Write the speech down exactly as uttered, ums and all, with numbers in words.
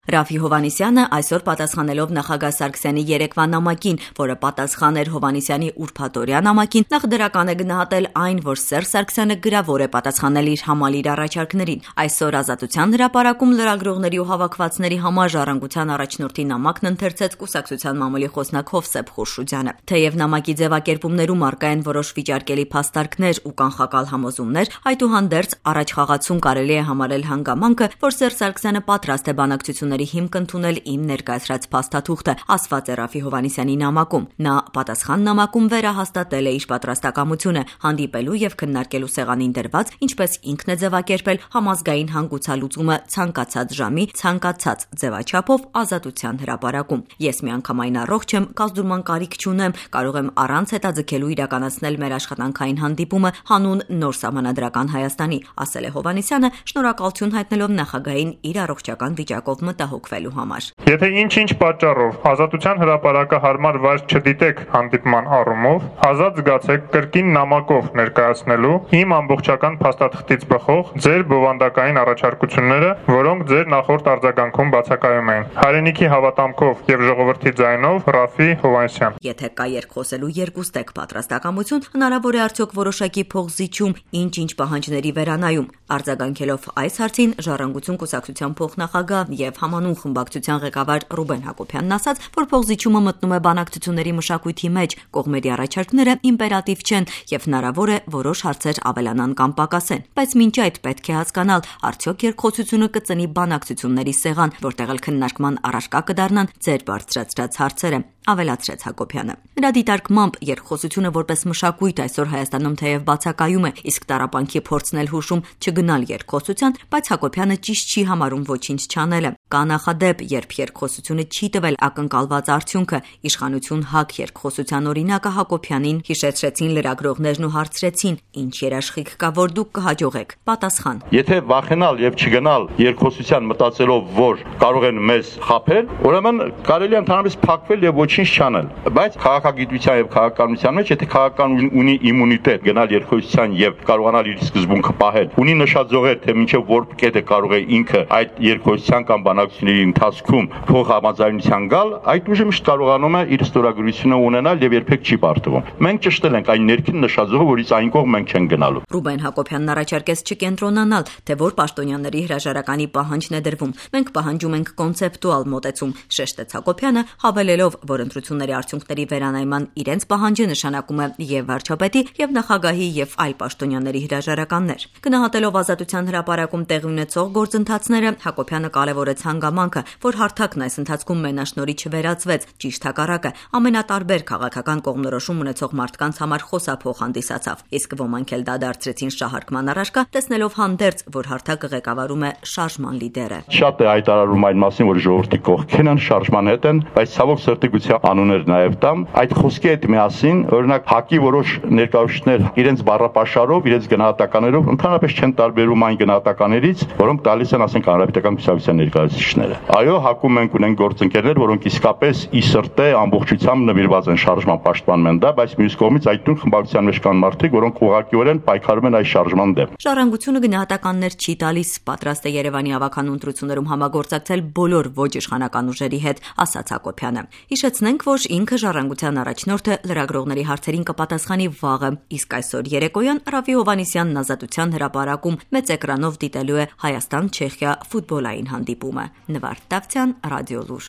Ռաֆի Հովհաննիսյանը այսօր պատասխանելով նախագահ Սարգսյանի երեկվա նամակին, որը պատասխան էր Հովհաննիսյանի ուրբաթօրյա նամակին, նախ դրական է գնահատել այն, որ Սերժ Սարգսյանը գրավոր է պատասխանել իր համալիր առաջարկներին։ Այսօր Ազատության հրապարակում լրագրողների ու հավաքվածների համար Ժառանգության առաջնորդի նամակն ընթերցեց կուսակցության մամուլի խոսնակ Հովսեփ Խուրշուդյանը։ Թեև նամակի ձևակերպումներում առկա են որոշ վիճարկելի փաստարկներ ու կանխակալ համոզումներ, այդուհանդերձ առաջ խաղացում կարելի է համարել հանգամանքը, որ Սերժ Սարգսյանը պատրաստ է բանակցությունների հիմք ընդունել իմ ներկայացրած փաստաթուղթը, ասված է Ռաֆի Հովհաննիսյանի նամակում։ Նա պատասխան նամակում վերահաստատել է իր պատրաստակամությունը հանդիպելու եւ քննարկելու սեղանին դրված, ինչպես ինքն է ձևակերպել համազգային հանգուցալուծումը ցանկացած ժամի, ցանկացած ձևաչափով Ազատության հրապարակում։ Ես միանգամայն առողջ եմ, կազդուրման կարիք չունեմ, կարող եմ առանց հետաձգելու իրականացնել մեր աշխատանքային հանդիպումը հանուն նոր սահմանադրական Հայաստանի, ասել է Հովհաննիսյանը, շնորհակալություն հայտնելով նախագահին իր առողջական վիճակով մտահոգվելու համար։ Եթե ինչ-ինչ պատճառով Ազատության հրապարակը հարմար վայր չդիտեք հանդիպման առումով, ազատ զգացեք կրկին նամակով ներկայացնելու իմ ամբողջական փաստաթղթից բխող ձեր բովանդակային առաջարկությունները, որոնք ձեր նախորդ արձագանքում բացակայում էին։ Հայրենիքի հավատամքով եւ ժողովրդի ձայնով Ռաֆի Հովհաննիսյան։ Եթե կա երկխոսելու երկուստեք պատրաստակամություն, հնարավոր է արդյոք որոշակի փողզիչում ինչ-ինչ պահանջների վերանայում։ Արձագանքելով այս հարցին Ժառանգություն կուսակցության փոխնախագահ եւ համանուն խմբակցության ղեկավար Ռուբեն Հակոբյանն ասաց, որ փողզիչումը մտնում է բանակցությունների մշակույթի մեջ, կողմերի առաջարկները իմպերատիվ չեն եւ հնարավոր է որոշ հարցեր ավելանան կամ պակասեն, բայց մինչ այդ պետք է հասկանալ, արդյոք երկխոսությունը կծնի բանակցությունների սեղան, որտեղ էլ քննարկման առարկա կդառնան ձեր բարձրացրած հարցերը, ավելացրեց Հակոբյանը։ Նրա դիտարկմամբ երկխոսությունը որպես մշակույթ այսօր Հայաստանում թեև բացակայում է, իսկ տառապանքի փորձն էլ հուշում չգնալ երկխոսության, բայց Հակոբյանը ճիշտ չի համարում ոչինչ չանելը։ Կա նախադեպ, երբ երկխոսությունը չի տվել ակնկալված արդյունքը, իշխանություն հակ երկխոսության օրինակը Հակոբյանին հիշեցրեցին լրագրողներն ու հարցրեցին, ինչ երաշխիք կա, որ դուք կհաջողեք։ Պատասխան. Եթե վախենալ եւ չգնալ երկխոսության մտածելով, որ կարող են մեզ խաբել, ուրեմն կարելի է ընդհանրապես փակվել եւ ոչինչ չանել։ Բայց քաղաքագիտության եւ քաղաքականության մեջ, եթե քաղաքական ունի իմունիտետ, գնալ երկխոսության եւ կարողանալ իր սկզբունքը պահել, ունի նշաձողեր, թե մինչեւ որ կետը կարող է ինքը այդ երկխոսության կամ բանակցությունների ընթացքում փող համաձայնության գալ, այդ ուժը միշտ կարողանում է իր ստորագրությունը ունենալ եւ երբեք չի բարդվում։ Մենք ճշտել ենք այն ներքին նշաձողը, որից այն կողմ մենք չենք գնալու։ Ռուբեն Հակոբյանն առաջարկեց չկենտրոնանալ, թե որ պաշտոնյաների հրաժարականի պահանջն է դրվում։ Մենք պահանջում ենք կոնցեպտուալ մոտեցում, շեշտեց Հակոբյանը, հավելելով, որ ընտրությունների արդյունքների վերանայման իրենց պահանջը նշանակում է եւ վարչապետի, եւ նախագահի եւ այլ պաշտոնյաների հրաժարականներ։ Գնահատելով Ազատության հրապարակում տեղի ունեցող գործընթացները, Հակոբյանը կարևորեց հանգամանքը, որ հարթակն այս ընթացքում մենաշնորհի չվերածվեց, ճիշտ հակառակը, ամենատարբեր քաղաքական կողմնորոշում ունեցող մարդկանց համար խոսափող հանդիսացավ, իսկ ոմանք էլ դա դարձրեցին շահարկման առարկա, տեսնելով հանդերձ, որ հարթակը ղեկավարում է շարժման լիդերը։ Շատ է հայտարարում այն մասին, որ ժողովրդի կողքին են, շարժման հետ են, բայց ցավոք սրտի գուցե անուններ նաև տամ, այդ խոսքի հետ միասին, օրինակ ՀԱԿ-ի որոշ ներկայացուցիչներ իրենց բառապաշարով, իրենց գնահատականներով ընդհանրապես չեն տարբերում այն գնահատականներից, որոնք տալիս են, ասենք, հանրապետական կուսակցության ներկայացուցիչները։ Այո, ՀԱԿ-ում մենք ունենք գործընկերներ, որոնք իսկապես ի սրտե ամբողջությամբ նվիրված են շարժման պաշտպանման դա, բայց մյուս կողմից այդ տուն խմբակցության մեջ կան մարդիկ, որոնք ուղղակիորեն պայքարում են այս շարժման դեմ։ Ժառանգությունը գնահատականներ չի տալիս, պատրաստ է Երևանի ավականու ընտրություններում համագործակցել բոլոր ոչ իշխանական ուժերի հետ, ասաց Հակոբյանը։ Հիշեցնենք, որ ինքը Ժառանգության առաջնորդը լրագրողների հարցերին կպատասխանի վաղը, իսկ այսօր երեկոյան Ռաֆի Հովհաննիսյանն Ազատության հրապարակում մեծ էկրանով դիտելու է Հայաստան-Չեխիա ֆուտբոլային հանդիպումը։ Նվարդ Դավթյան, Ռադիոլուր։